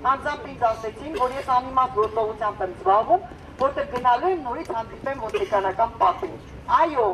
Անձամբ ինձ ասեցին, որ ես անիմաստ գործողությամբ եմ զբաղվում, որտեղ գնալու եմ նորից հանդիպեմ ոստիկանական պատին։ Այո,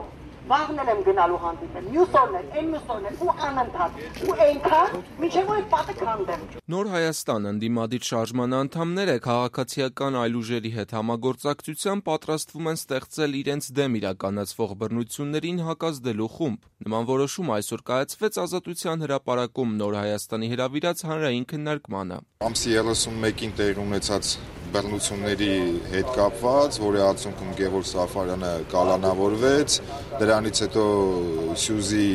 վաղն եմ գնալու հանդիպեմ, մյուս օրն էլ, ու անընդհատ, ու այնքան, մինչև որ պատը քանդեմ։ Նոր Հայաստան ընդդիմադիր շարժման անդամները քաղաքացիական այլ ուժերի հետ համագործակցությամբ պատրաստվում են ստեղծել իրենց դեմ իրականացվող բռնություններին հակազդելու խումբ։ Նման որոշում այսօր կայացվեց Ազատության հրապարակում Նոր Հայաստանի հրավիրած հանրային քննարկմանը։ Ամսի 31-ին տեղի ունեցած բռնությունների հետ կապված, որի արդյունքում Գևորգ Սաֆարյանը կալանավորվեց, դրանից հետո Սյուզի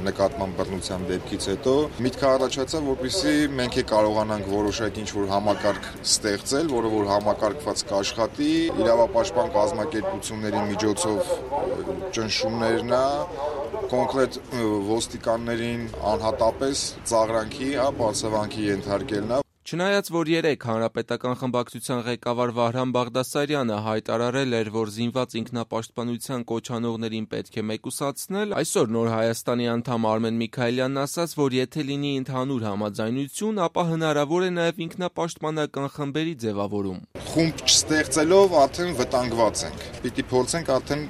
նկատմամբ բռնության դեպքից հետո միտքը առաջացավ, որպեսզի մենք կարողանանք որոշակի ինչ-որ համակարգ ստեղծել, որը որ համակարգված կաշխատի, իրավապաշտպան կազմակերպությունների միջոցով ճնշումներն կոնկրետ ոստիկաններին անհատապես ծաղրանքի, բարձրավանքի ենթարկելն է։ Չնայած որ երեկ հանրապետական խմբակցության ղեկավար Վահրամ Բաղդասարյանը հայտարարել էր, որ զինված ինքնապաշտպանության կոչանողներին պետք է մեկուսացնել, այսօր Նոր Հայաստանի անդամ Արմեն Միքայելյանն ասաց, որ եթե լինի ընդհանուր համաձայնություն, ապա հնարավոր է նաև ինքնապաշտպանական խմբերի ձևավորում։ Խումբ չստեղծելով արդեն վտանգված ենք։ Պիտի փորձենք արդեն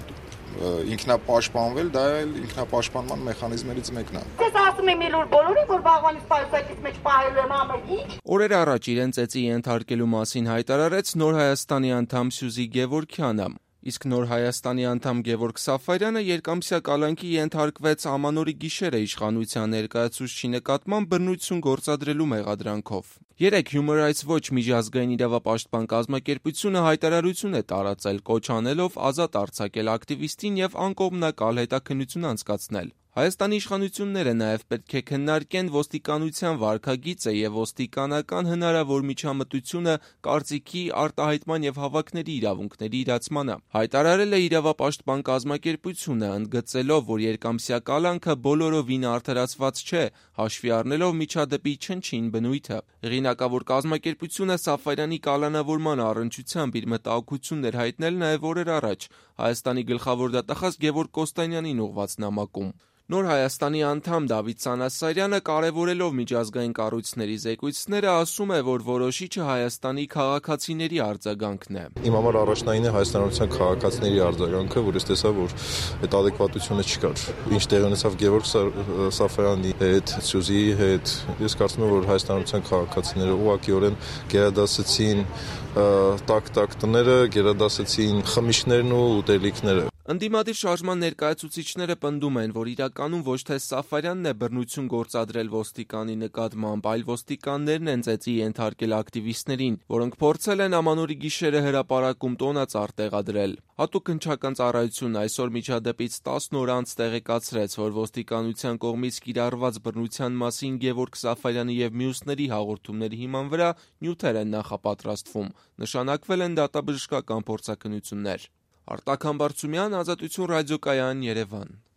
ինքնապաշտպանվել, դա էլ ինքնապաշտպանման մեխանիզմներից մեկն է։ Ես ասում եմ իլուր բոլորին, որ վաղվանից պայուսակից մեջ պահելու եմ ամեն ինչ։ Օրեր առաջ իրեն ծեծի ենթարկելու մասին հայտարարեց Նոր Հայաստանի անդամ Սյուզի Գևորգյանը, իսկ Նոր Հայաստանի անդամ Գևորգ Սաֆարյանը երկամսյա կալանքի ենթարկվեց Ամանորի գիշերը իշխանության ներկայացուցչի նկատմամբ բռնություն գործադրելու մեղադրանքով։ Երեկ Human Rights Watch միջազգային իրավապաշտպան կազմակերպությունը հայտարարություն է տարածել, կոչ անելով ազատ արձակել ակտիվիստին եւ անկողմնակալ հետաքննություն անցկացնել։ Հայաստանի իշխանությունները նաև պետք է քննարկեն ոստիկանության վարքագիծը եւ ոստիկանական հնարավոր միջամտությունը կարծիքի, արտահայտման եւ հավաքների իրավունքների իրացմանը։ Հայտարարել է իրավապաշտպան կազմակերպությունը, ընդգծելով, որ երկամսյա կալանքը բոլորովին արդարացված չէ, հաշվի առնելով միջադեպի չնչին բնույթը։ Հեղինակավոր կազմակերպությունը Սաֆարյանի կալանավորման առնչությամբ իր մտահոգություններ հայտնել նաև օրեր առաջ Հայաստանի գլխավոր դատախազ Գևորգ Կոստանյանին ուղղված նամակում։ Նոր Հայաստանի անդամ Դավիթ Սանասարյանը կարևորելով միջազգային կառույցների զեկույցները ասում է, որ որոշիչը Հայաստանի քաղաքացիների արձագանքն է։ Իմ համար առաջնային է հայաստանյան քաղաքացիների արձագանքը, որ ես տեսա, որ այդ ադեկվատությունը չկար։ Ինչ տեղի ունեցավ Գևորգ Սաֆարյանի հետ, Սյուզիի հետ, ես կարծում եմ, որ հայաստանյան քաղաքացիները ուղղակիորեն գերադասեցին տակ տները, գերադասեցին խմիչքներն ու ուտելիքները։ Ընդդիմադիր շարժման ներկայացուցիչները պնդում են, որ իրականում ոչ թե Սաֆարյանն է բռնություն գործադրել ոստիկանի նկատմամբ, այլ ոստիկաններն են ծեծի ենթարկել ակտիվիստներին, որոնք փորձել են Ամանորի գիշերը հրապարակում տոնածառ տեղադրել։ Հատուկ հնչական ծառայությունն այսօր միջադեպից 10 օր անց տեղեկացրեց, որ ոստիկանության կողմից կիրառված բռնության մասին Գևորգ Սաֆարյանի եւ մյուսների հաղորդումների հիման վրա նյութեր են նախապատրաստվում, նշանակվել են դատաբժշկական փորձաքննություններ։ Արտակ Համբարձումյան, Ազատություն ռադիոկայան, Երևան։